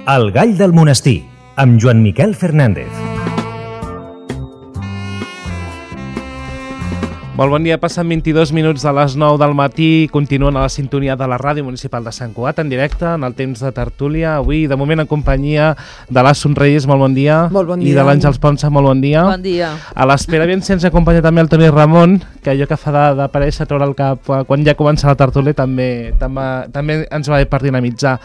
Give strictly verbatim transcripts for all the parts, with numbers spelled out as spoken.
El gall del monestir, amb Joan Miquel Fernández. Molt bon dia, passen vint-i-dos minuts de les nou del matí, continuen a la sintonia de la Ràdio Municipal de Sant Cugat, en directe, en el temps de tertúlia, avui, de moment, en companyia de l'As Somreyes, molt bon dia. Molt bon dia. I de l'Àngels Ponsa, molt bon dia. Bon dia. A l'espera, bien, se'ns acompanya també el Toni Ramon, que allò que fa d'aparèixer, treure el cap, quan ja comença la tertúlia, també, també, també ens va bé per dinamitzar.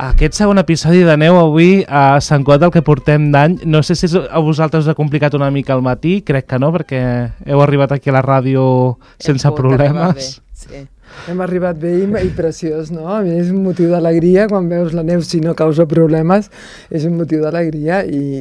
Aquest segon episodi de neu avui a Sant Cugat del que portem d'any, no sé si a vosaltres us ha complicat una mica el matí, crec que no, perquè heu arribat aquí a la ràdio sense problemes. Sí. Hem arribat bé i, i preciós, no? A mi és un motiu d'alegria, quan veus la neu, si no causa problemes, és un motiu d'alegria i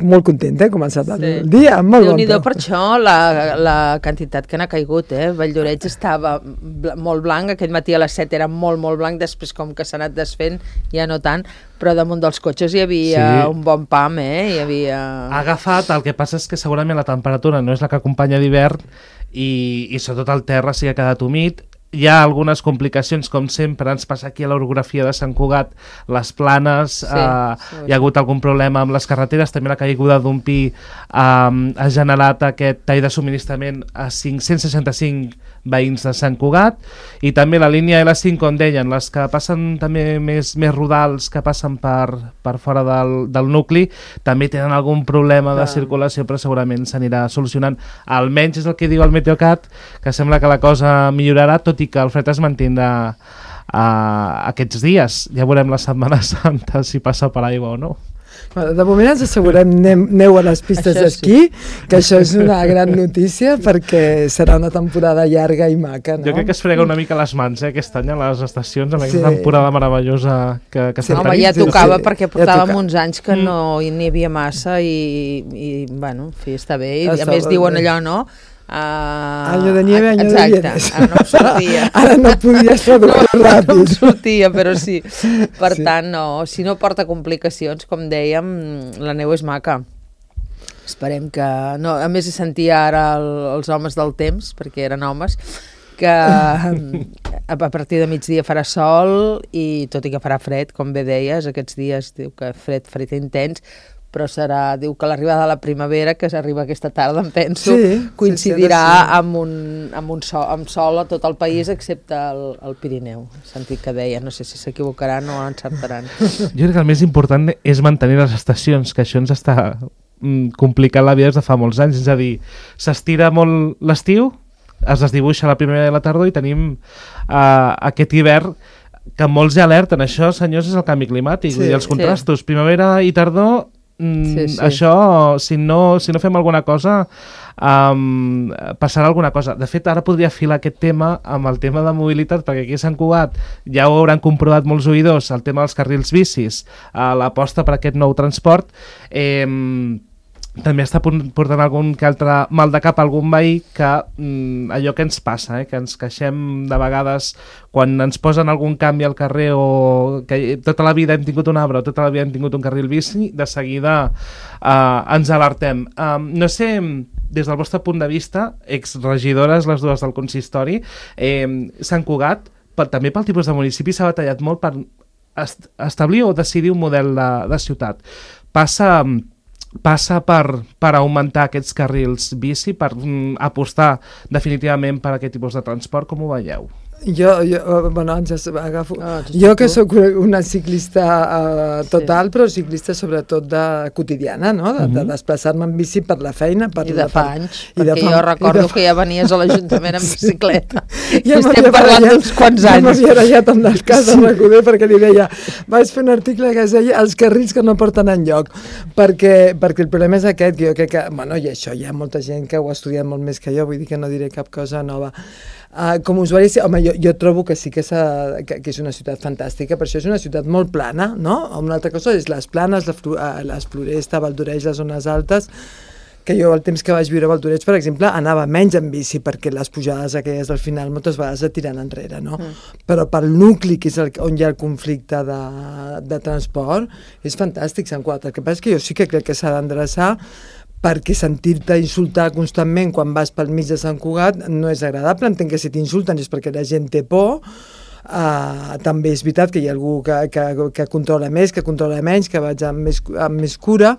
molt contenta, he començat el Sí. dia, amb molt bon Déu-n'hi-do to. per això la, la quantitat que n'ha caigut, eh? Valldoreix estava bl molt blanc, aquest matí a les set era molt, molt blanc, després com que s'ha anat desfent, ja no tant, però damunt dels cotxes hi havia Sí. un bon pam, eh? Hi havia... Ha agafat, el que passa és que segurament la temperatura no és la que acompanya d'hivern i, i sobretot el terra sí que ha quedat humit. Hi ha algunes complicacions, com sempre, ens passa aquí a l'orografia de Sant Cugat, les planes, Sí, eh, sí, hi ha hagut algun problema amb les carreteres, també la caiguda d'un pi eh, ha generat aquest tall de subministrament a cinc-cents seixanta-cinc veïns de Sant Cugat, i també la línia L cinc, com deien, les que passen també més, més rodals, que passen per, per fora del, del nucli, també tenen algun problema de Clar. circulació, però segurament s'anirà solucionant. Almenys és el que diu el Meteocat, que sembla que la cosa millorarà, tot i que el fred es mantindrà uh, aquests dies. Ja veurem la Setmana Santa si passa per aigua o no. Bueno, de moment ens assegurem neu, neu a les pistes Això d'esquí, que això és una gran notícia perquè serà una temporada llarga i maca, no? Jo crec que es frega una mica les mans eh, aquest any a les estacions, amb aquesta Sí. temporada meravellosa que, que Sí, s'ha Home, tenit. ja sí, tocava sí, perquè ja portàvem toca. uns anys que Mm. no n'hi havia massa i, i bueno, en fi, està bé. I, Està a més bé. diuen allò, no? Uh, Año de nieve, año de exacte, bienes. ara no em sortia. Ara no podies traduir No em ràpid. sortia, però sí. Per Sí. tant, no, si no porta complicacions, com dèiem, la neu és maca. Esperem que... No, a més, sentia ara el, els homes del temps, perquè eren homes, que a partir de migdia farà sol i tot i que farà fred, com bé deies, aquests dies diu que fred, fred intens, però serà, diu que l'arribada de la primavera, que s'arriba aquesta tarda, em penso, Sí, coincidirà sí, sí, sí. amb un, amb un sol, amb sol a tot el país, excepte el, el Pirineu. He sentit que deia, no sé si s'equivocaran o encertaran. Jo crec que el més important és mantenir les estacions, que això ens està mm, complicant la vida des de fa molts anys. És a dir, s'estira molt l'estiu, es desdibuixa la primavera i la tardor i tenim uh, aquest hivern que molts ja alerten. Això, senyors, és el canvi climàtic. Sí, Vull dir, els contrastos, primavera i tardor, mm, Sí, sí. això, si no, si no fem alguna cosa, um, passarà alguna cosa. De fet, ara podria filar aquest tema amb el tema de mobilitat, perquè aquí a Sant Cugat ja ho hauran comprovat molts oïdors, el tema dels carrils bicis, uh, l'aposta per aquest nou transport. Eh, també està portant algun que altre mal de cap a algun veí que mm, allò que ens passa, eh, que ens queixem de vegades quan ens posen algun canvi al carrer o que tota la vida hem tingut un arbre o tota la vida hem tingut un carril bici, de seguida eh, ens alertem. Um, no sé, des del vostre punt de vista, exregidores les dues del consistori, eh, Sant Cugat, per, també pel tipus de municipi, s'ha batallat molt per est establir o decidir un model de, de ciutat. Passa... passa per, per augmentar aquests carrils bici, per mm, apostar definitivament per aquest tipus de transport, com ho veieu? Jo, jo, bueno, ens agafo... Ah, jo que sóc una ciclista uh, total, sí. però ciclista sobretot de quotidiana, no? De, de desplaçar-me en bici per la feina. Per I de la, fa per, anys, i de perquè fa, jo recordo de... que ja venies a l'Ajuntament amb bicicleta. Ja I estem m'havia parlant barallat- d'uns quants Ja anys. m'havia barallat amb les cases sí. Recoder perquè li deia, vaig fer un article que es deia els carrils que no porten enlloc, perquè, perquè el problema és aquest, que jo crec que, bueno, i això hi ha molta gent que ho ha estudiat molt més que jo, vull dir que no diré cap cosa nova. Uh, com a usuari, home, jo, jo trobo que sí que, que, que és una ciutat fantàstica, per això és una ciutat molt plana, no? Una altra cosa és les planes, la flu, uh, les Floresta, Valldoreix, les zones altes, que jo el temps que vaig viure a Valldoreix, per exemple, anava menys en bici, perquè les pujades aquelles del final moltes vegades et tiren enrere, no? Mm. Però pel nucli, que és el, on hi ha el conflicte de, de transport, és fantàstic Sant Cugat. El que passa és que jo sí que crec que s'ha d'endreçar, perquè sentir-te insultar constantment quan vas pel mig de Sant Cugat no és agradable. Entenc que si t'insulten és perquè la gent té por, Uh, també és veritat que hi ha algú que, que, que controla més, que controla menys, que vaig amb més, amb més cura,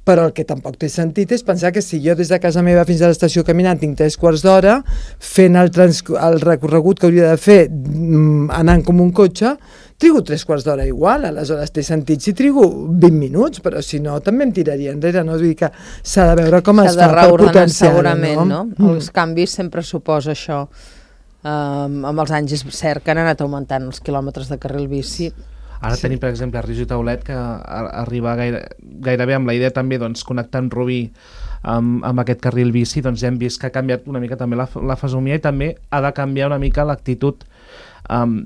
però el que tampoc té sentit és pensar que si jo des de casa meva fins a l'estació caminant tinc tres quarts d'hora, fent el, trans, el recorregut que hauria de fer anant com un cotxe, trigo tres quarts d'hora igual, aleshores té sentit si trigo vint minuts, però si no també em tiraria enrere, no? Vull dir que s'ha de veure com es fa per potenciar-ho, segurament, no? no? Mm. Els canvis sempre suposa això. Um, amb els anys és cert que han anat augmentant els quilòmetres de carril bici. Ara sí. Tenim, per exemple, a Ris i Taulet, que arriba gaire, gairebé amb la idea també doncs, connectant Rubí amb, amb aquest carril bici, doncs ja hem vist que ha canviat una mica també la, la fesomia i també ha de canviar una mica l'actitud, um,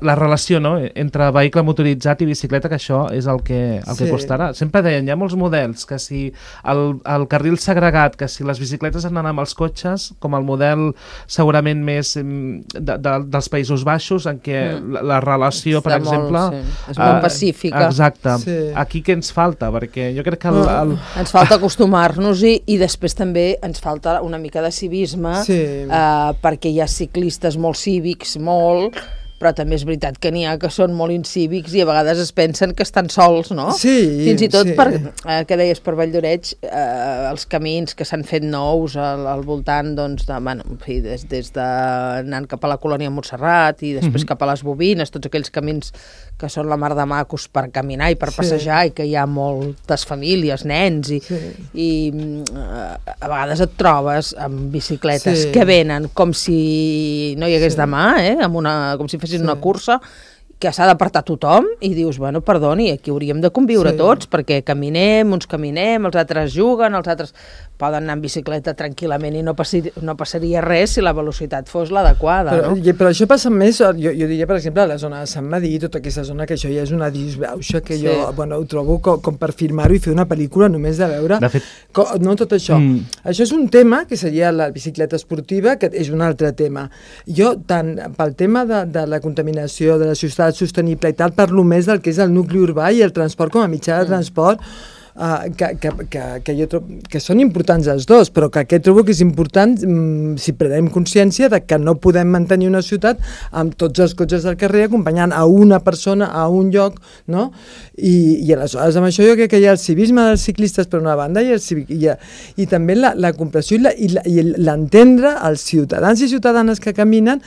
la relació, no?, entre vehicle motoritzat i bicicleta, que això és el que, el sí. que costarà. Sempre deien, hi ha molts models, que si el, el carril segregat, que si les bicicletes han d'anar amb els cotxes, com el model segurament més de, de, dels Països Baixos, en què mm. la, la relació, per Està exemple... Molt, sí. És molt pacífica. Exacte. Sí. Aquí què ens falta? Perquè jo crec que... El, el... Ens falta acostumar-nos-hi i després també ens falta una mica de civisme, sí. eh, perquè hi ha ciclistes molt cívics, molt... però també és veritat que n'hi ha que són molt incívics i a vegades es pensen que estan sols, no? Sí, Fins i tot, sí. per, eh, que deies, per Valldoreix, eh, els camins que s'han fet nous al, al voltant, doncs, de, bueno, en fi, des, des de anant cap a la colònia Montserrat i després mm-hmm. cap a les Bobines, tots aquells camins que són la mar de macos per caminar i per sí. passejar i que hi ha moltes famílies, nens, i, sí. i eh, a vegades et trobes amb bicicletes sí. que venen com si no hi hagués sí. demà, eh? Amb una, com si fessin sí. una cursa que s'ha d'apartar tothom i dius, bueno, perdoni, aquí hauríem de conviure sí. tots, perquè caminem, uns caminem, els altres juguen, els altres poden anar en bicicleta tranquil·lament i no, passi, no passaria res si la velocitat fos l'adequada, però, no? I, però això passa més, jo, jo diria, per exemple, a la zona de Sant Madí, tota aquesta zona, que això ja és una disbauxa, que sí. jo, bueno, ho trobo com, com per firmar-ho i fer una pel·lícula només de veure, de fet... com, no tot això. Mm. Això és un tema, que seria la bicicleta esportiva, que és un altre tema. Jo, tant pel tema de, de la contaminació, de la ciutat sostenible i tal, parlo més del que és el nucli urbà i el transport com a mitjà de transport, Uh, que, que, que, que, jo trobo, que són importants els dos, però que aquest trobo que és important um, si prenem consciència de que no podem mantenir una ciutat amb tots els cotxes del carrer acompanyant a una persona a un lloc, no? I, i aleshores amb això jo crec que hi ha el civisme dels ciclistes per una banda i, el civic, i, i també la, la comprensió i l'entendre els ciutadans i ciutadanes que caminen,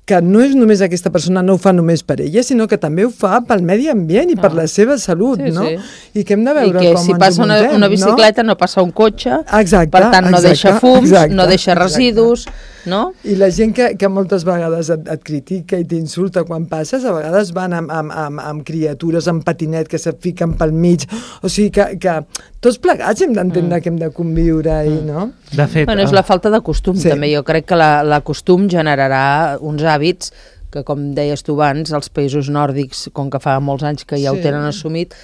que no és només aquesta persona, no ho fa només per ella, sinó que també ho fa pel medi ambient i ah. per la seva salut, sí, no? Sí. I que hem de veure I que com si ens passa una, muntem, una bicicleta no? no passa un cotxe, exacte, per tant no exacte, deixa fums, exacte, no deixa residus, exacte. no? I la gent que, que moltes vegades et, et critica i t'insulta quan passes, a vegades van amb, amb, amb, amb criatures amb patinet que se't fiquen pel mig, o sigui que, que tots plegats hem d'entendre mm. que hem de conviure i, mm. no? De fet, bueno, és la falta de costum, sí. també. Jo crec que la, la costum generarà uns hàbits que, com deies tu abans, els països nòrdics, com que fa molts anys que ja sí. ho tenen assumit,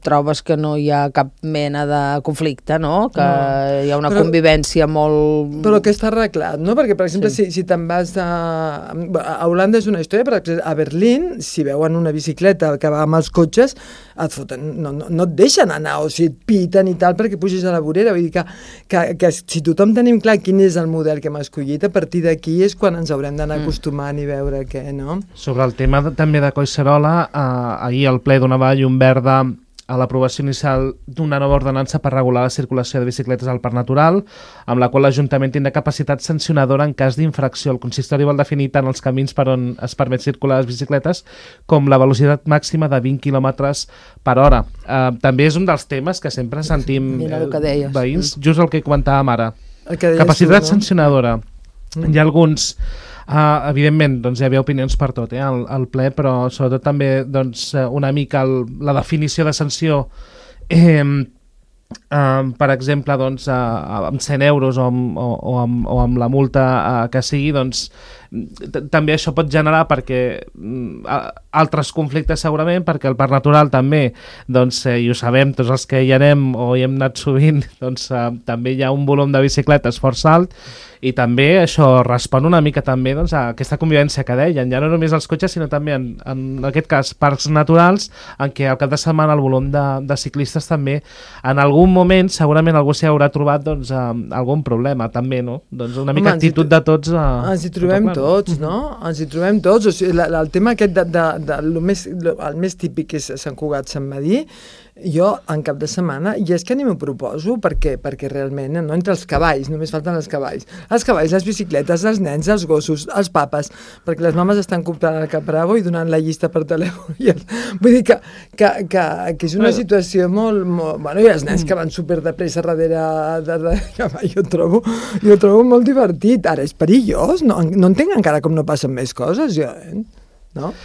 trobes que no hi ha cap mena de conflicte, no? Que no. hi ha una però, convivència molt... Però que està arreglat, no? Perquè, per exemple, sí. si, si te'n vas a... A Holanda és una història, per exemple, a Berlín, si veuen una bicicleta que va amb els cotxes, et foten, no, no, no et deixen anar, o si et piten i tal, perquè puges a la vorera. Vull dir que, que, que si tothom tenim clar quin és el model que hem escollit, a partir d'aquí és quan ens haurem d'anar mm. acostumant i veure què, no? Sobre el tema de, també de Collserola, eh, ahir el ple donava llum verda a l'aprovació inicial d'una nova ordenança per regular la circulació de bicicletes al Parc Natural, amb la qual l'Ajuntament tindrà capacitat sancionadora en cas d'infracció. El consistori vol definir tant els camins per on es permet circular les bicicletes com la velocitat màxima de vint quilòmetres per hora. Uh, també és un dels temes que sempre sentim eh, veïns, just el que comentàvem ara. Capacitat tu, no? sancionadora. Mm. Hi ha alguns... Uh, evidentment, doncs, hi havia opinions per tot eh, al, al ple, però sobretot també doncs, una mica el, la definició de sanció eh, uh, per exemple doncs, uh, amb cent euros o amb, o, o amb, o amb la multa uh, que sigui, doncs també això pot generar perquè uh, altres conflictes segurament, perquè el Parc Natural també, doncs, eh, i ho sabem tots els que hi anem o hi hem anat sovint, doncs uh, també hi ha un volum de bicicletes força alt i també això respon una mica també doncs, a aquesta convivència que deien, ja no només els cotxes sinó també en, en aquest cas parcs naturals en què al cap de setmana el volum de, de ciclistes també en algun moment segurament algú s'hi haurà trobat doncs, eh, algun problema també, no? Doncs una mica Home, actitud de tots. Eh, ens hi trobem tots, no? Ens hi trobem tots. O sigui, la, la, el tema aquest de, de, de, de lo més, lo, el més típic és Sant Cugat, Sant Medir, jo en cap de setmana, i és que ni m'ho proposo, perquè, perquè realment, no, entre els cavalls, només falten els cavalls, els cavalls, les bicicletes, els nens, els gossos, els papes, perquè les mames estan comprant el Capravo i donant la llista per telèfon. I el, vull dir que, que, que, que és una situació molt, molt... Bueno, i els nens que van super de pressa darrere, darrere cavall, jo trobo, jo trobo molt divertit. Ara, és perillós, no, no entenc encara com no passen més coses, jo, eh? No?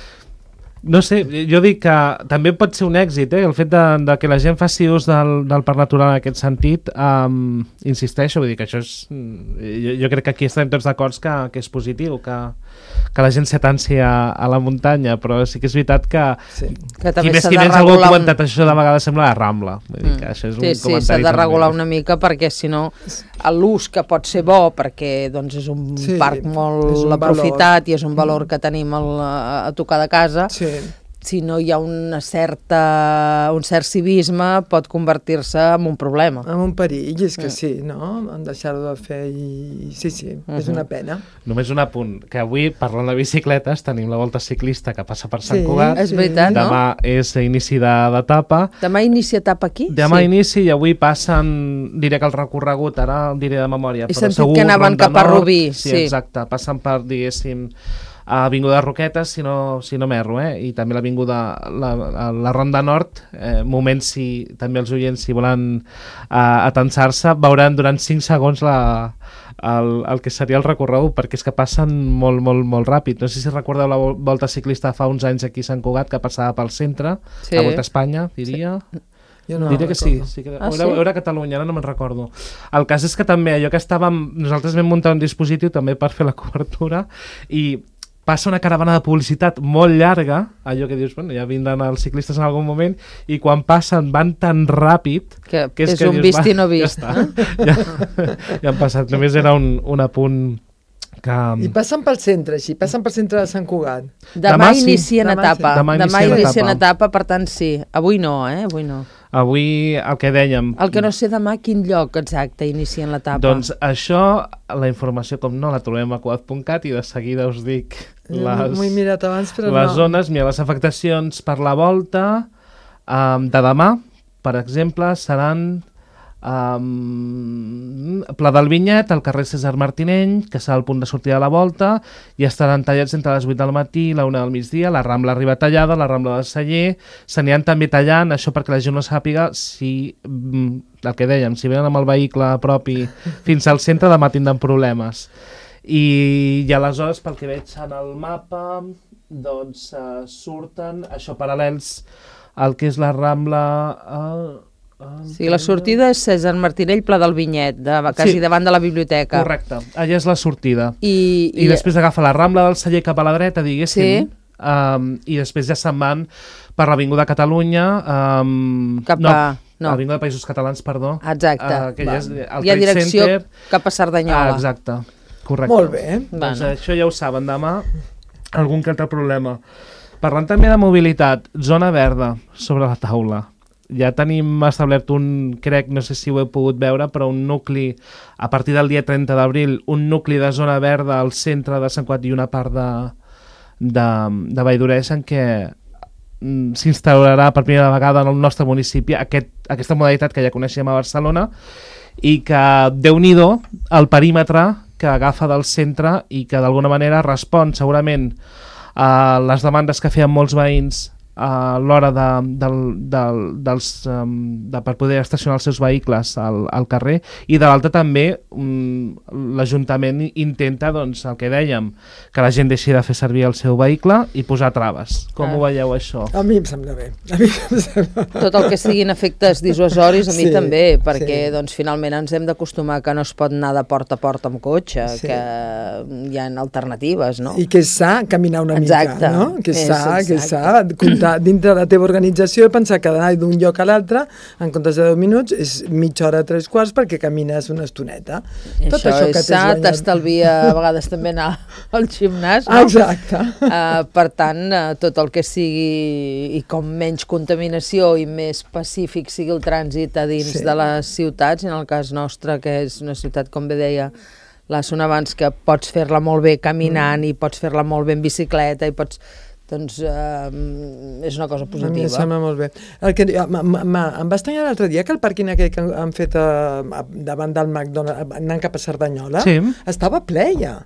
No sé, jo dic que també pot ser un èxit, eh? El fet de, de que la gent faci ús del, del parc natural en aquest sentit, um, insisteixo, vull dir que això és... Jo, jo crec que aquí estem tots d'acord que, que és positiu, que, que la gent s'atanci a, a la muntanya, però sí que és veritat que... Sí. Que també qui més s'ha qui de menys algú ha regular comentat un... això de vegades sembla la Rambla. Vull dir que això és sí, un sí, comentari s'ha de també. regular una mica perquè si no l'ús que pot ser bo perquè doncs, és un sí, parc molt és un aprofitat valor. I és un valor que tenim al, a, a tocar de casa, Sí. si no hi ha una certa, un cert civisme pot convertir-se en un problema. En un perill, és que sí, no? En deixar-ho de fer i... Sí, sí, uh-huh. és una pena. Només un apunt, que avui, parlant de bicicletes, tenim la volta ciclista que passa per Sant Sí, Cugat. És veritat, no? Demà és inici de- d'etapa. Demà inicia etapa aquí? Demà sí. inici i avui passen, diré que el recorregut, ara el diré de memòria, He però sentit segur que anaven Ronda cap a Nord, Rubí, sí, sí. exacte, passen per, diguéssim, a Avinguda Roquetes, si no, si no m'erro, eh? I també l'Avinguda, la, la, la Ronda Nord, eh, moment si també els oients si volen eh, atensar-se, veuran durant cinc segons la, el, el que seria el recorregut, perquè és que passen molt, molt, molt ràpid. No sé si recordeu la volta ciclista fa uns anys aquí a Sant Cugat, que passava pel centre, Sí. la Volta a Espanya, diria... Jo no Diré que sí, recordo. sí que... Ah, era, sí? era Catalunya, ara no me'n recordo. El cas és que també, allò que estàvem... Nosaltres vam muntar un dispositiu també per fer la cobertura i passa una caravana de publicitat molt llarga, allò que dius, bueno, ja vindran els ciclistes en algun moment, i quan passen van tan ràpid Que, que és, és que un dius, vist i no ja vist. està, ja, ja han passat. Només era un, un apunt que... I passen pel centre, així, passen pel centre de Sant Cugat. Demà, Demà sí. inicien Demà sí. etapa. Demà Demà inicien inicien etapa. etapa, per tant sí. Avui no, eh? Avui no. Avui, el que dèiem... El que no sé demà quin lloc exacte inicien l'etapa. Doncs això, la informació, com no, la trobem a cugat punt cat i de seguida us dic les, M'ho he mirat abans, però les no. zones. Mira, les afectacions per la volta um, de demà, per exemple, seran um, Pla del Vinyet, el carrer César Martineny, que serà el punt de sortida de la volta, i estaran tallats entre les vuit del matí i la una del migdia. La Rambla arriba tallada, la Rambla del Celler, s'aniran també tallant, això perquè la gent no sàpiga si, mm, el que dèiem, si venen amb el vehicle propi fins al centre, demà tindran problemes. I, i aleshores, pel que veig en el mapa, doncs uh, surten, això, paral·lels al que és la Rambla... Uh, Sí, la sortida és César Martinell, Pla del Vinyet, de, quasi Sí. davant de la biblioteca. Correcte, allà és la sortida. I, I, I després agafa la Rambla del Celler cap a la dreta, diguéssim, Sí. um, i després ja se'n van per l'Avinguda Catalunya, um, Cap no, a- no. l'Avinguda Països Catalans, perdó. Exacte. Uh, que ja Va. és el Hi ha Trade direcció Center. cap a Cerdanyola. Ah, exacte, correcte. Molt bé. Doncs Bueno. això ja ho saben, demà algun que altre problema. Parlant també de mobilitat, zona verda sobre la taula. Ja tenim establert un, crec, no sé si ho heu pogut veure, però un nucli, a partir del dia trenta d'abril, un nucli de zona verda al centre de Sant Cugat i una part de, de, de Valldoreix en què mm, s'instaurarà per primera vegada en el nostre municipi aquest, aquesta modalitat que ja coneixem a Barcelona i que, déu-n'hi-do, el perímetre que agafa del centre i que d'alguna manera respon segurament a les demandes que feien molts veïns a l'hora de, del, del, dels, um, de, per poder estacionar els seus vehicles al, al carrer, i de l'altra també um, l'Ajuntament intenta, doncs, el que dèiem, que la gent deixi de fer servir el seu vehicle i posar traves. Com Ah. ho veieu, això? A mi em sembla bé. A mi em sembla... Tot el que siguin efectes dissuasoris, a mi Sí, també, perquè sí. doncs, finalment ens hem d'acostumar que no es pot anar de porta a porta amb cotxe, Sí. que hi ha alternatives, no? I que és sa caminar una Exacte. mica, no? Que és És sa, que és sa, exacte. comptar dintre de la teva organització, pensar que d'anar d'un lloc a l'altre, en comptes de deu minuts, és mitja hora, tres quarts, perquè camines una estoneta. I Tot això, això que és t'has sa, guanyat. t'estalvia a vegades també anar al gimnàs, Ah, no? exacte. Uh, per tant, uh, tot el que sigui i com menys contaminació i més pacífic sigui el trànsit a dins Sí. de les ciutats, en el cas nostre, que és una ciutat, com bé deia la zona abans que pots fer-la molt bé caminant mm. i pots fer-la molt bé en bicicleta i pots... doncs eh, és una cosa positiva. A mi em sembla molt bé. El que, m -m -m em va estranyar l'altre dia que el pàrquing aquell que han fet a, a, davant del McDonald's, anant cap a Cerdanyola, sí. estava ple ja.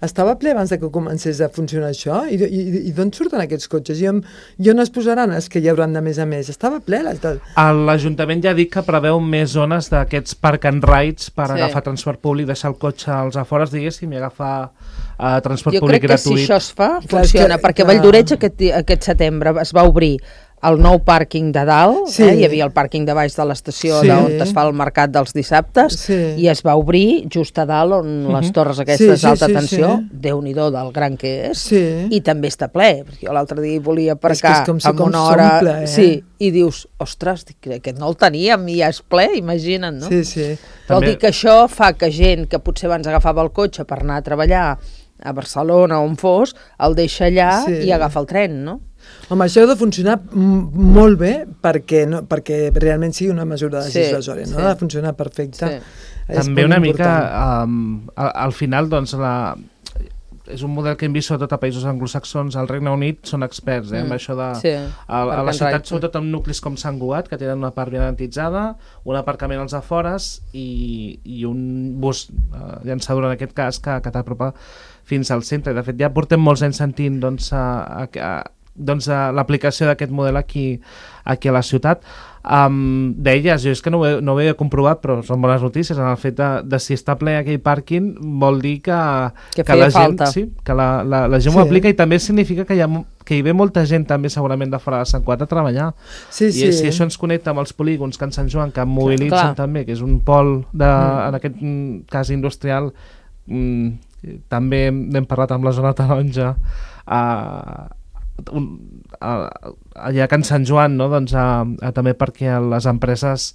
Estava ple abans de que comencés a funcionar això. I, i, i d'on surten aquests cotxes? I on, i on es posaran els que hi hauran de més a més? Estava ple. L'Ajuntament ja ha dit que preveu més zones d'aquests park and rides per sí. agafar transport públic, deixar el cotxe als afores, diguéssim, i agafar uh, transport jo públic gratuït. Jo crec que si això es fa, funciona, clar, perquè clar. Valldoreig aquest, aquest setembre es va obrir el nou pàrquing de dalt, sí. eh? Hi havia el pàrquing de baix de l'estació sí. on es fa el mercat dels dissabtes, sí. i es va obrir just a dalt on uh -huh. les torres aquestes d'alta sí, sí, tensió, sí. Déu-n'hi-do del gran que és, sí. i també està ple, perquè jo l'altre dia volia aparcar és si amb una hora, ple, eh? sí, i dius, ostres, aquest no el teníem i ja és ple, imagina't, no? Sí, sí. Vol dir que això fa que gent que potser abans agafava el cotxe per anar a treballar a Barcelona o on fos, el deixa allà sí. i agafa el tren, no? Home, això ha de funcionar molt bé perquè, no, perquè realment sigui una mesura legislatòria, sí, no? Sí. Ha de funcionar perfecte. Sí. També una mica, um, al, al final, doncs, la, és un model que hem vist sobretot a països anglosaxons. Al Regne Unit són experts eh, mm. amb això de... Sí, a, a la ciutat, sobretot amb nuclis com Sant Cugat, que tenen una part ben identitzada, un aparcament als afores i, i un bus uh, llançador, en aquest cas, que, que t'apropa fins al centre. De fet, ja portem molts anys sentint doncs, a, a, a doncs, uh, l'aplicació d'aquest model aquí, aquí a la ciutat. Um, deies, jo és que no ho, he, no ho havia comprovat, però són bones notícies en el fet de, de si està ple aquell pàrquing vol dir que, que, que la gent, falta. sí, que la, la, la gent sí. ho aplica, i també significa que hi, ha, que hi ve molta gent també segurament de fora de Sant Cugat a treballar. Sí, I sí. si això ens connecta amb els polígons que en Sant Joan, que mobilitzen clar. també, que és un pol de, mm. en aquest cas industrial, mm, també hem parlat amb la zona taronja, a uh, Un, a, allà a Can Sant Joan, no? doncs, a, a, també perquè les empreses,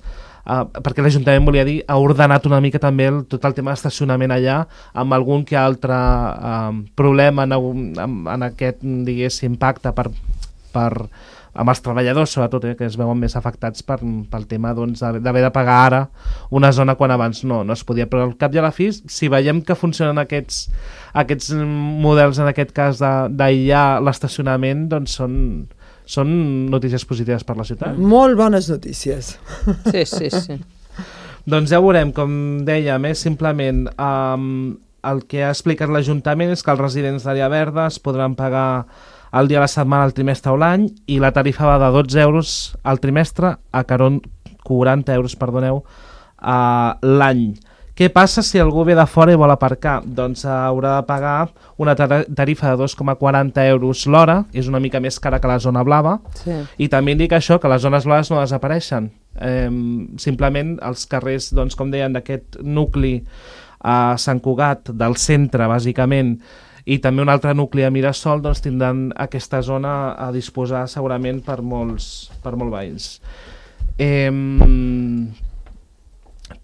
a, perquè l'Ajuntament volia dir, ha ordenat una mica també el, tot el tema d'estacionament allà, amb algun que altre a, problema en, en, en aquest, diguéssim, pacte per, per, amb els treballadors, sobretot, eh, que es veuen més afectats per, pel tema doncs, d'haver de pagar ara una zona quan abans no, no es podia. Però al cap i a la fi, si veiem que funcionen aquests, aquests models, en aquest cas, d'aïllar l'estacionament, doncs són, són notícies positives per la ciutat. Molt bones notícies. Sí, sí, sí. Doncs ja veurem, com dèiem, eh, simplement um, el que ha explicat l'Ajuntament és que els residents d'àrea verda es podran pagar el dia a la setmana, al trimestre o l'any, i la tarifa va de dotze euros al trimestre a quaranta euros, perdoneu, a l'any. Què passa si algú ve de fora i vol aparcar? Doncs haurà de pagar una tarifa de dos coma quaranta euros l'hora, és una mica més cara que la zona blava, sí. I també indica això, que les zones blaves no desapareixen. Eh, simplement els carrers, doncs, com deien, d'aquest nucli a Sant Cugat, del centre, bàsicament, i també un altre nucli a Mirasol, doncs tindran aquesta zona a disposar segurament per molts, per molts veïns. Eh,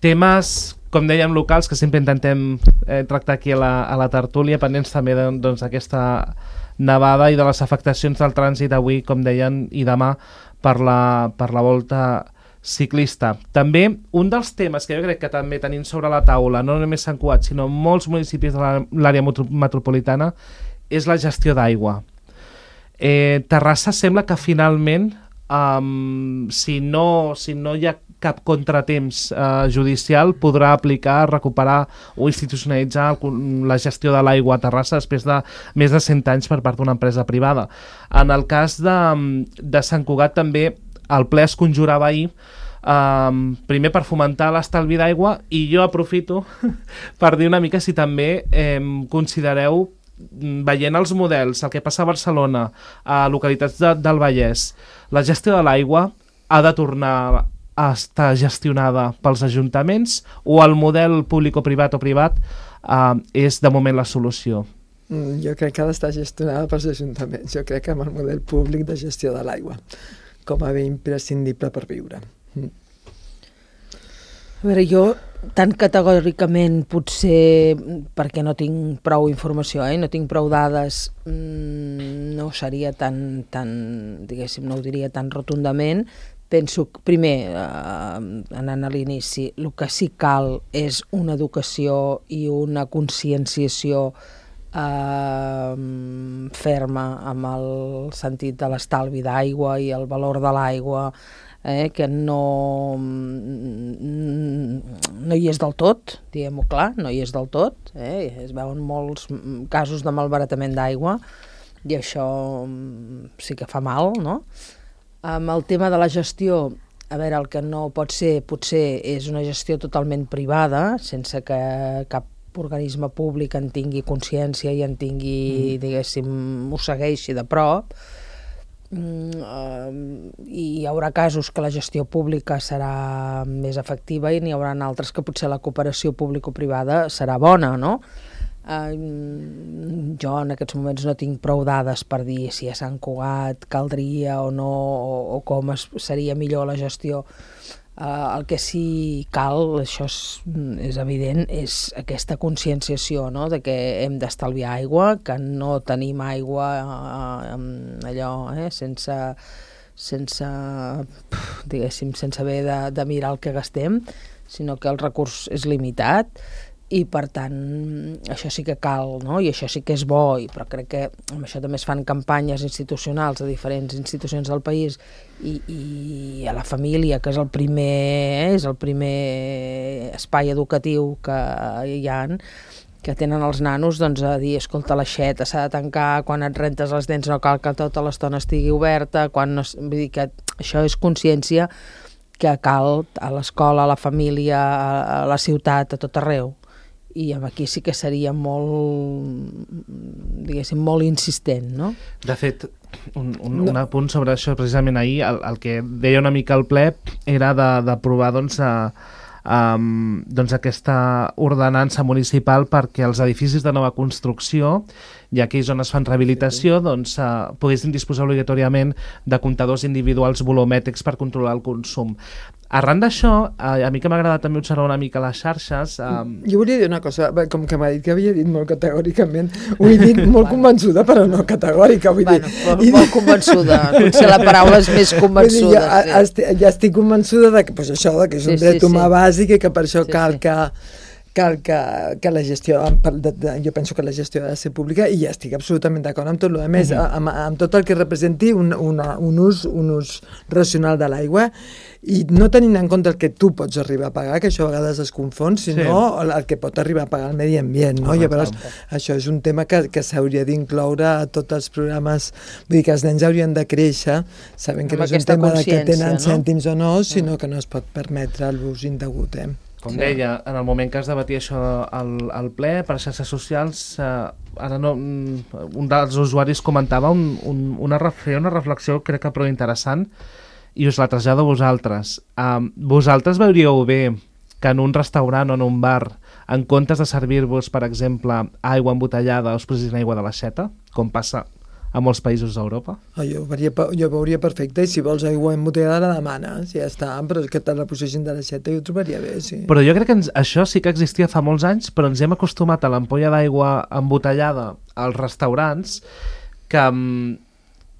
temes, com dèiem, locals, que sempre intentem eh, tractar aquí a la, a la tertúlia, pendents també d'aquesta doncs, nevada i de les afectacions del trànsit avui, com deien, i demà per la, per la volta ciclista. També un dels temes que jo crec que també tenim sobre la taula, no només Sant Cugat, sinó molts municipis de l'àrea metropolitana, és la gestió d'aigua. Eh, Terrassa sembla que finalment, um, si, no, si no hi ha cap contratemps eh, judicial, podrà aplicar, recuperar o institucionalitzar la gestió de l'aigua a Terrassa després de més de cent anys per part d'una empresa privada. En el cas de, de Sant Cugat també el ple es conjurava ahir, um, primer per fomentar l'estalvi d'aigua, i jo aprofito per dir una mica si també eh, considereu, veient els models, el que passa a Barcelona, a localitats de, del Vallès, la gestió de l'aigua ha de tornar a estar gestionada pels ajuntaments, o el model públic-privat o privat eh, és de moment la solució? Jo crec que ha d'estar gestionada pels ajuntaments. Jo crec que amb el model públic de gestió de l'aigua com a bé imprescindible per viure. Mm. A veure, jo tan categòricament, potser perquè no tinc prou informació, eh? no tinc prou dades, mmm, no seria tan, tan, diguéssim, no ho diria tan rotundament, penso que, primer, eh, anant a l'inici, el que sí cal és una educació i una conscienciació eh, ferma amb el sentit de l'estalvi d'aigua i el valor de l'aigua, eh, que no, no hi és del tot, diguem-ho clar, no hi és del tot, eh, es veuen molts casos de malbaratament d'aigua i això sí que fa mal, no? Amb el tema de la gestió, a veure, el que no pot ser, potser és una gestió totalment privada, sense que cap organisme públic en tingui consciència i en tingui, mm. diguéssim, ho segueixi de prop. Mm, uh, i hi haurà casos que la gestió pública serà més efectiva i n'hi haurà altres que potser la cooperació público-privada serà bona, no? Uh, jo en aquests moments no tinc prou dades per dir si a Sant Cugat caldria o no, o, o com es, seria millor la gestió. Uh, el que sí cal, això és, és evident, és aquesta conscienciació, no?, de que hem d'estalviar aigua, que no tenim aigua uh, allò, eh, sense, sense, diguéssim, sense haver de, de mirar el que gastem, sinó que el recurs és limitat. I per tant això sí que cal, no? I això sí que és bo, i, però crec que amb això també es fan campanyes institucionals a diferents institucions del país i, i a la família, que és el primer és el primer espai educatiu que hi ha, que tenen els nanos, doncs a dir, escolta, l'aixeta s'ha de tancar, quan et rentes les dents no cal que tota l'estona estigui oberta, quan no, vull dir que això és consciència que cal a l'escola, a la família, a la ciutat, a tot arreu. I aquí sí que seria molt, diguéssim, molt insistent, no? De fet, un, un, no. un apunt sobre això, precisament ahir, el, el que deia una mica el ple era d'aprovar, doncs, a, a, doncs, aquesta ordenança municipal perquè els edificis de nova construcció i aquells on es fan rehabilitació, doncs, eh, poguessin disposar obligatòriament de comptadors individuals volumètrics per controlar el consum. Arran d'això, eh, a mi que m'agrada també observar una mica les xarxes... Eh... Jo volia dir una cosa, com que m'ha dit que havia dit molt categòricament, ho he dit molt convençuda, però no categòrica. Vull bueno, dir, molt, molt convençuda, potser la paraula és més convençuda. Dir, jo, sí. estic, ja estic convençuda de que, pues això, de que és un sí, dret sí, humà sí. bàsic i que per això sí, cal sí. que... cal que, que la gestió, de, de, jo penso que la gestió ha de ser pública i ja estic absolutament d'acord amb tot el que més, uh-huh. amb, amb tot el que representi un, una, un, ús, un ús racional de l'aigua i no tenint en compte el que tu pots arribar a pagar, que això a vegades es confon, sinó sí. el, el que pot arribar a pagar el medi ambient, no? Uh-huh. Llavors, això és un tema que, que s'hauria d'incloure a tots els programes, vull dir que els nens haurien de créixer, sabent que amb no és un tema de que tenen no? cèntims o no, sinó uh-huh. que no es pot permetre l'ús indegut, eh? Com deia, en el moment que es debatia això al, al ple, per xarxes socials, eh, ara no, un dels usuaris comentava un, un, una, una reflexió crec que prou interessant i us la trasllado a vosaltres. Um, vosaltres veuríeu bé que en un restaurant o en un bar, en comptes de servir-vos, per exemple, aigua embotellada, us posessin aigua de l'aixeta, com passa a molts països d'Europa? Oh, jo, veuria, jo veuria perfecte, i si vols aigua embotellada la demanes, ja està, però és que te la posessin de l'aixeta i ho trobaria bé, sí. Però jo crec que ens, això sí que existia fa molts anys, però ens hem acostumat a l'ampolla d'aigua embotellada als restaurants, que,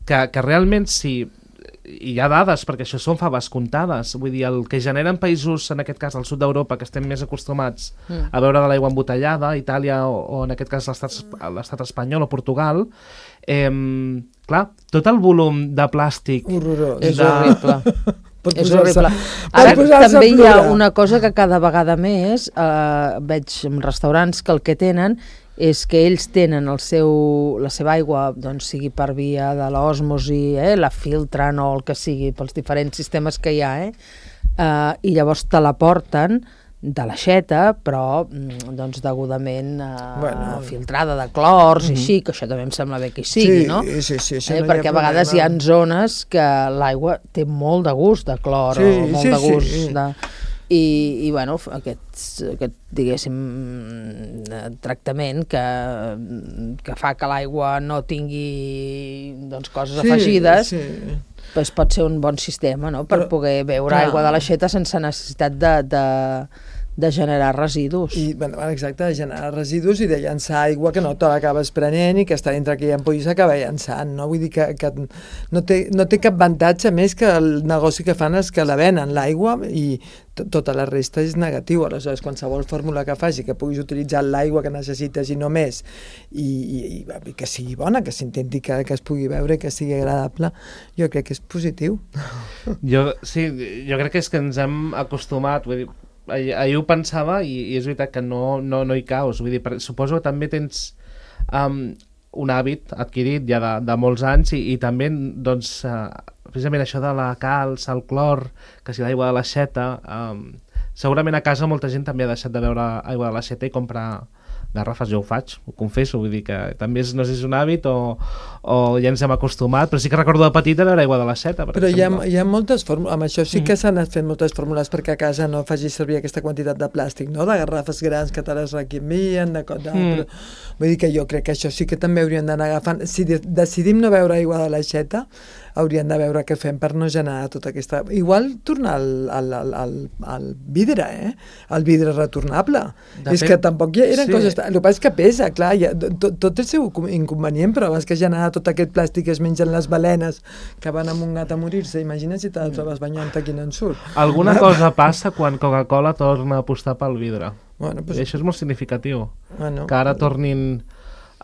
que, que realment sí, hi ha dades, perquè això són faves comptades, vull dir, el que generen països, en aquest cas al sud d'Europa, que estem més acostumats mm. a veure de l'aigua embotellada, Itàlia o, o en aquest cas l'estat espanyol o Portugal, eh, clar, tot el volum de plàstic... Horrorós. És de... horrible. És horrible. Ara també hi ha una cosa que cada vegada més eh, veig en restaurants que el que tenen és que ells tenen el seu, la seva aigua, doncs, sigui per via de l'osmosi, eh, la filtren o el que sigui, pels diferents sistemes que hi ha, eh, eh, i llavors te la porten de l'aixeta, però doncs degudament eh, bueno, filtrada de clors, uh-huh. i així, que això també em sembla bé que hi sigui, sí, no? Sí, sí, sí, eh, no perquè a vegades hi ha zones que l'aigua té molt de gust de clor, sí, o molt sí, de gust sí. de... I, i bueno, aquest, aquest diguéssim tractament que, que fa que l'aigua no tingui doncs, coses sí, afegides sí. Pues pot ser un bon sistema, no? Per però, poder beure clar. Aigua de l'aixeta sense necessitat de, de, de generar residus. I, bueno, exacte, de generar residus i de llançar aigua que no te l'acabes prenent i que està dintre aquella ampolla i s'acaba llançant, no? Vull dir que, que no, té, no té cap avantatge més que el negoci que fan és que la venen, l'aigua, i tota la resta és negatiu. Aleshores, qualsevol fórmula que faci que puguis utilitzar l'aigua que necessites i no més, i, i, i que sigui bona, que s'intenti que, que es pugui beure, que sigui agradable, jo crec que és positiu. Jo, sí, jo crec que és que ens hem acostumat, vull dir, ahir, ahir ho pensava i, i és veritat que no, no, no hi caus, vull dir, per, suposo que també tens um, un hàbit adquirit ja de, de molts anys i, i també, doncs, uh, precisament això de la calç, el clor, que si l'aigua de l'aixeta, um, segurament a casa molta gent també ha deixat de beure aigua de l'aixeta i comprar garrafes. Jo ho faig, ho confesso, vull dir que també és, no sé si és un hàbit o, o ja ens hem acostumat, però sí que recordo de petita beure aigua de l'aixeta. Però hi ha, hi ha moltes fórmules, amb això sí que mm. s'han fet moltes fórmules perquè a casa no facis servir aquesta quantitat de plàstic, no? De garrafes grans que te les requimien, de cosa, mm. però, vull dir que jo crec que això sí que també haurien d'anar agafant. Si de decidim no beure aigua de l'aixeta, haurien de veure què fem per no generar tota aquesta... Igual tornar al, al, al, al, al vidre, eh? El vidre retornable. De és fet, que tampoc hi eren sí. coses... El que passa és que pesa, clar, ha, tot, tot el seu inconvenient, però abans que generar tot aquest plàstic que es mengen les balenes que van amb un gat a morir-se, imagina't si te'l trobes banyant aquí no en surt. Alguna cosa passa quan Coca-Cola torna a apostar pel vidre. Bueno, pues... I això és molt significatiu. Bueno, que ara tornin...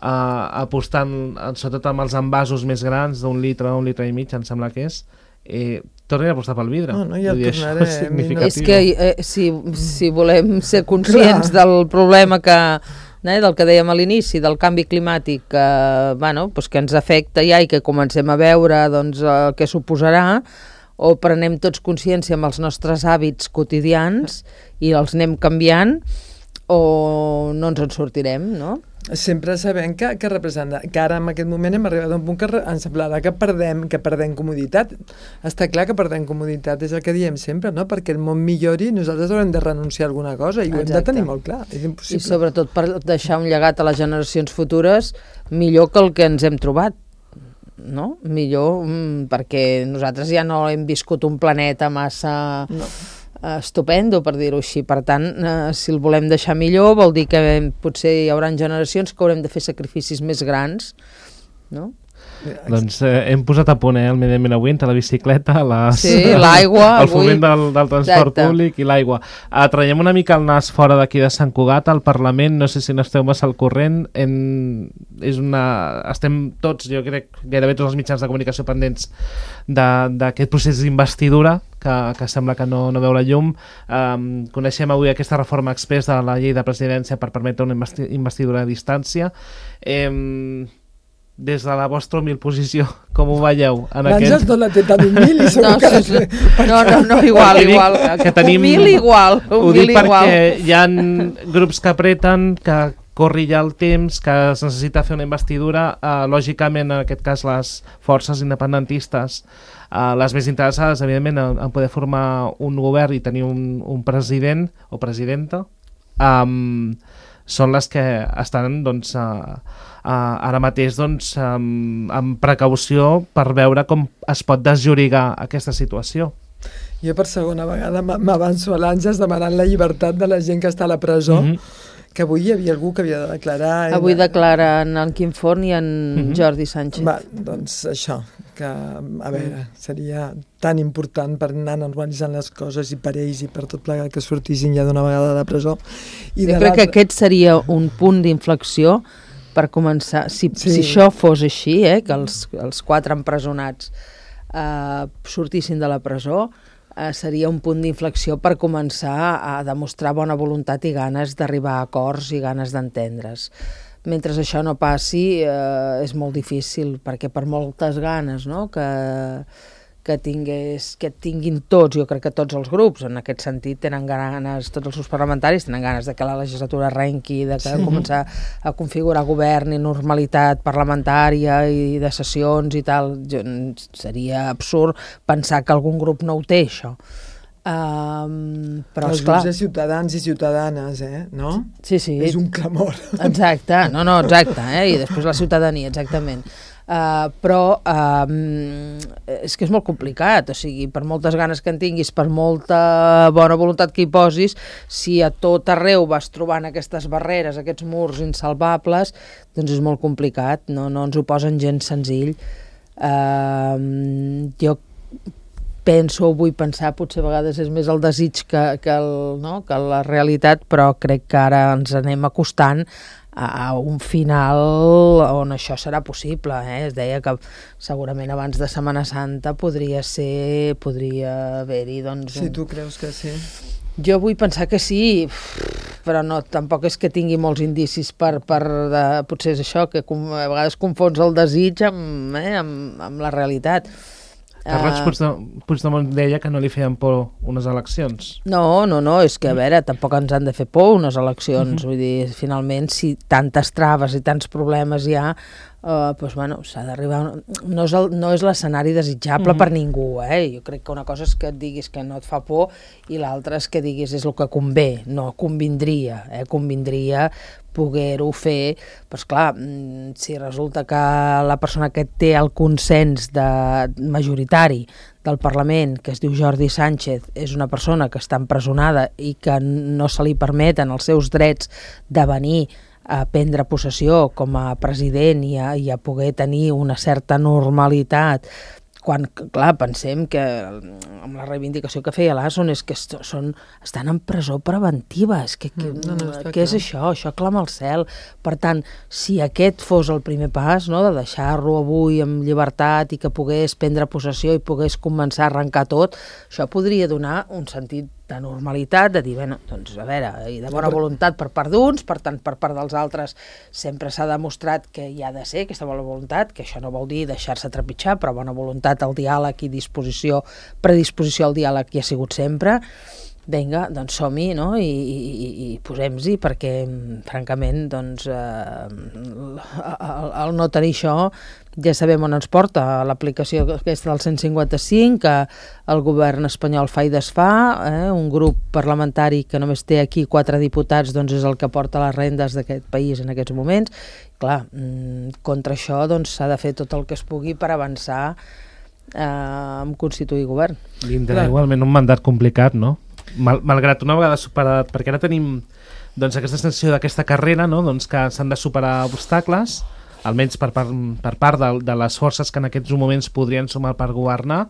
Uh, apostant sobretot amb els envasos més grans d'un litre, un litre i mig em sembla que és, eh, tornin a apostar pel vidre. No, no, ja el tornaré. És significatiu. És que eh, si, si volem ser conscients Clar. del problema que, eh, del que dèiem a l'inici, del canvi climàtic que, bueno, pues que ens afecta ja i que comencem a veure doncs, el que suposarà, o prenem tots consciència amb els nostres hàbits quotidians i els anem canviant, o no ens en sortirem, no? Sempre sabem que, que representa, que ara en aquest moment hem arribat a un punt que ens semblarà que perdem, que perdem comoditat. Està clar que perdem comoditat, és el que diem sempre, no? Perquè el món millori, nosaltres haurem de renunciar a alguna cosa i ho Exacte. hem de tenir molt clar, és impossible. I sobretot per deixar un llegat a les generacions futures millor que el que ens hem trobat, no? Millor, mm, perquè nosaltres ja no hem viscut un planeta massa... No. estupendo, per dir-ho així. Per tant, eh, si el volem deixar millor, vol dir que potser hi haurà generacions que haurem de fer sacrificis més grans, no? Doncs eh, hem posat a punt eh, el Medi Ambient avui entre la bicicleta, les, sí, l'aigua, el foment del, del transport Exacte. públic i l'aigua. Uh, traiem una mica el nas fora d'aquí de Sant Cugat, al Parlament, no sé si n'esteu massa al corrent, en, és una, estem tots, jo crec, gairebé tots els mitjans de comunicació pendents d'aquest procés d'investidura, que, que sembla que no, no veu la llum. Um, coneixem avui aquesta reforma express de la llei de presidència per permetre una investi investidura a distància. Eh, des de la vostra humil posició, com ho veieu? L'Àngels no la té tan humil i segur no, que... Sí, sí. No, no, no, igual, dic, igual. Que tenim, humil igual. Ho dic perquè hi ha grups que apreten, que corri ja el temps, que es necessita fer una investidura. Uh, lògicament, en aquest cas, les forces independentistes, uh, les més interessades, evidentment, en, en poder formar un govern i tenir un, un president o presidenta, um, són les que estan, doncs, uh, uh, ara mateix, doncs, um, amb precaució per veure com es pot desllorigar aquesta situació. Jo per segona vegada m'avanço a l'Àngels demanant la llibertat de la gent que està a la presó, mm-hmm. que avui hi havia algú que havia de declarar... Avui declaren en Quim Forn i en mm-hmm. Jordi Sánchez. Va, doncs això, que a veure, seria tan important per anar normalitzant les coses i per ells i per tot plegat que sortissin ja d'una vegada de presó. I jo de crec que aquest seria un punt d'inflexió per començar. Si, sí. si això fos així, eh, que els, els quatre empresonats eh, sortissin de la presó, eh, seria un punt d'inflexió per començar a demostrar bona voluntat i ganes d'arribar a acords i ganes d'entendre's. Mentre això no passi, eh, és molt difícil, perquè per moltes ganes, no?, que, que, tingués, que tinguin tots, jo crec que tots els grups, en aquest sentit, tenen ganes, tots els grups parlamentaris tenen ganes de que la legislatura arrenqui, de que sí. començar a configurar govern i normalitat parlamentària i de sessions i tal. Seria absurd pensar que algun grup no ho té, això. Um, però els esclar, grups de ciutadans i ciutadanes, eh? No? Sí, sí. És un clamor. Exacte, no, no, exacte, eh? I després la ciutadania, exactament. Uh, però uh, és que és molt complicat, o sigui, per moltes ganes que en tinguis, per molta bona voluntat que hi posis, si a tot arreu vas trobant aquestes barreres, aquests murs insalvables, doncs és molt complicat, no, no ens ho posen gens senzill. Uh, jo penso, vull pensar, potser a vegades és més el desig que, que, el, no? que la realitat, però crec que ara ens anem acostant a, a un final on això serà possible. Eh? Es deia que segurament abans de Setmana Santa podria ser, podria haver-hi... Doncs, Si un... tu creus que sí. Jo vull pensar que sí, però no, tampoc és que tingui molts indicis per, per de, potser és això, que com, a vegades confons el desig amb, eh, amb, amb la realitat. Carles Puigdemont, Puigdemont deia que no li feien por unes eleccions. No, no, no, és que a veure, tampoc ens han de fer por unes eleccions, Uh-huh. vull dir, finalment, si tantes traves i tants problemes hi ha, Uh, doncs, bueno, s'ha d'arribar... No és, el, no és l'escenari desitjable Mhm. per ningú, eh? Jo crec que una cosa és que et diguis que no et fa por i l'altra és que diguis és el que convé, no convindria, eh? Convindria poder-ho fer, però esclar, mm, si resulta que la persona que té el consens de, majoritari del Parlament, que es diu Jordi Sánchez, és una persona que està empresonada i que no se li permeten els seus drets de venir a prendre possessió com a president i a, i a poder tenir una certa normalitat, quan, clar, pensem que amb la reivindicació que feia l'Asson és que est són, estan en presó preventiva, és que, que, no, no, què és això? Això clama al cel. Per tant, si aquest fos el primer pas, no?, de deixar-lo avui en llibertat i que pogués prendre possessió i pogués començar a arrencar tot, això podria donar un sentit de normalitat, de dir, bueno, doncs a veure, i de bona voluntat per part d'uns, per tant, per part dels altres sempre s'ha demostrat que hi ha de ser aquesta bona voluntat, que això no vol dir deixar-se trepitjar, però bona voluntat al diàleg i disposició, predisposició al diàleg hi ha sigut sempre. Vinga, doncs som-hi, no?, i, i, i posem-hi, perquè, francament, doncs, eh, el, el no tenir això ja sabem on ens porta, l'aplicació aquesta del cent cinquanta-cinc, que el govern espanyol fa i desfà, eh, un grup parlamentari que només té aquí quatre diputats, doncs és el que porta les rendes d'aquest país en aquests moments. Clar, contra això doncs s'ha de fer tot el que es pugui per avançar eh, en constituir govern. Tindrà igualment un mandat complicat, no? Mal, malgrat una vegada superat, perquè ara tenim doncs, aquesta sensació d'aquesta carrera, no?, doncs, que s'han de superar obstacles, almenys per, per, per part de, de les forces que en aquests moments podrien sumar per governar.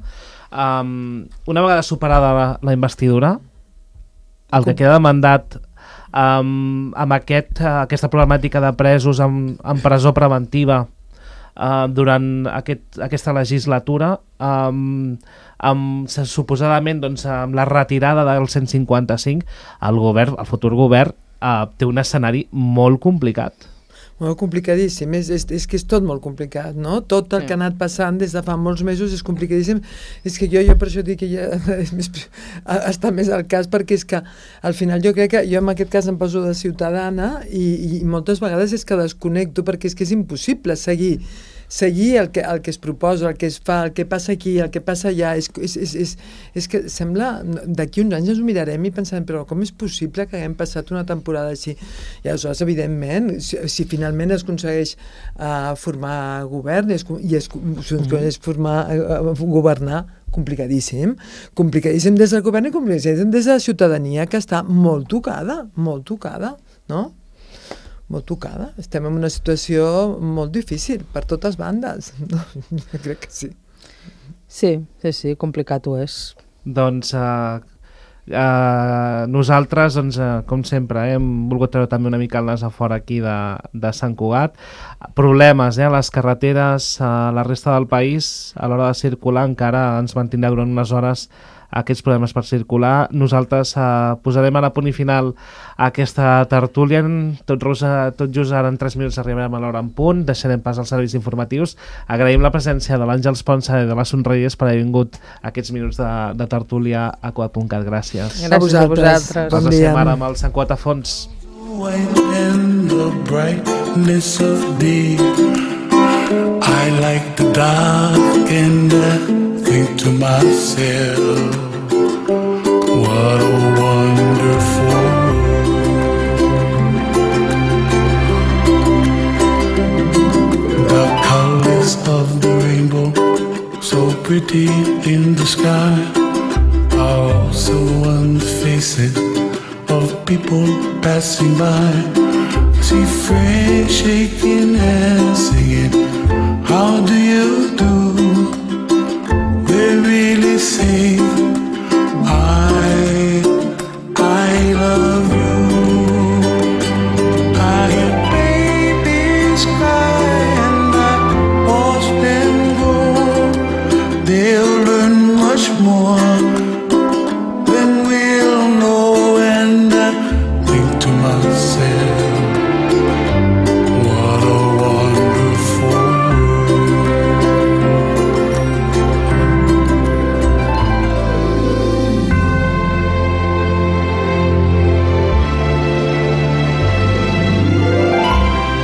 Um, una vegada superada la, la investidura, el que queda de mandat um, amb aquest, uh, aquesta problemàtica de presos en, en presó preventiva Uh, durant aquest, aquesta legislatura, um, amb, suposadament doncs, amb la retirada del cent cinquanta-cinc, el govern, el futur govern uh, té un escenari molt complicat. Molt complicadíssim, és, és, és que és tot molt complicat, no? Tot el Sí. que ha anat passant des de fa molts mesos és complicadíssim. És que jo, jo per això dic que ja és més, està més al cas, perquè és que al final jo crec que jo en aquest cas em poso de ciutadana i, i moltes vegades és que desconnecto, perquè és que és impossible seguir seguir el que, el que es proposa, el que es fa, el que passa aquí, el que passa allà, és, és, és, és, és que sembla, d'aquí uns anys ens ho mirarem i pensarem, però com és possible que haguem passat una temporada així? I aleshores, evidentment, si, si finalment es aconsegueix uh, formar govern i es, i es, es formar, uh, governar, complicadíssim, complicadíssim des del govern i complicadíssim des de la ciutadania, que està molt tocada, molt tocada, no? molt tocada. Estem en una situació molt difícil per totes bandes. No, jo crec que sí. Sí, sí, sí, complicat ho és. Doncs uh, uh, nosaltres, doncs, uh, com sempre, eh, hem volgut treure també una mica el nas a fora aquí de, de Sant Cugat. Problemes eh, a les carreteres, a la resta del país, a l'hora de circular encara ens mantindrà durant unes hores aquests problemes per circular. Nosaltres eh, posarem a la punt i final aquesta tertúlia. Tot, rosa, tot just ara en tres minuts arribarem a l'hora en punt. Deixarem pas als serveis informatius. Agraïm la presència de l'Àngels Ponsa i de la Sonreyes per haver vingut aquests minuts de, de tertúlia a Cugat punt cat. Gràcies. Gràcies a vosaltres. Bon Ens dia. deixem ara amb el Sant Cugat a fons. In the brightness of day, I like the dark and I think to myself, what a wonderful world. The colors of pretty in the sky are also on the faces of people passing by. I see friends shaking hands, singing, how do you do? They really say, I, I love you. I hear babies cry and I watch them go. They'll learn much more than we'll know. And I think to myself, what a wonderful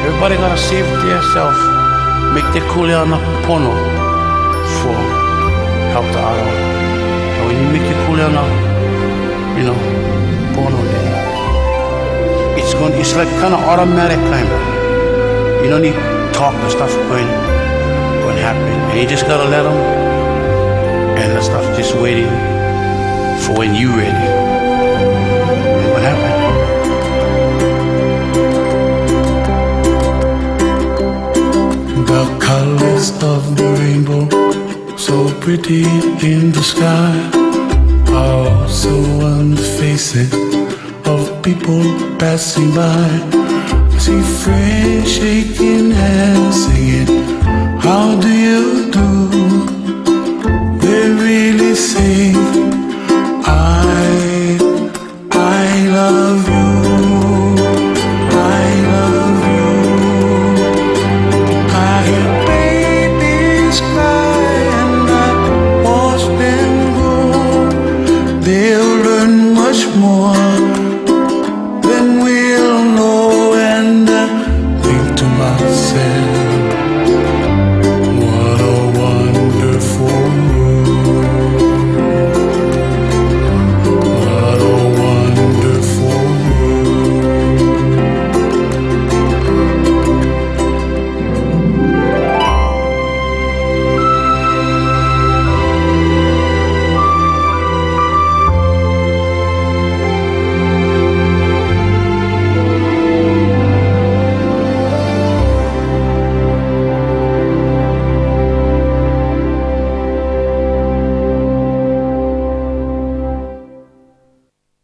Everybody gotta save it to yourself. Make the kuleana pono for help the other. And when you make your kuleana, you know, pono there, it's going. It's like kind of automatic kind of. You don't need talk and stuff going, going to happen. And you just gotta let them, and the stuff just waiting for when you ready. And what happened? The colors of the rainbow, so pretty in the sky, are also on the faces of people passing by. I see friends shaking hands, singing, how do you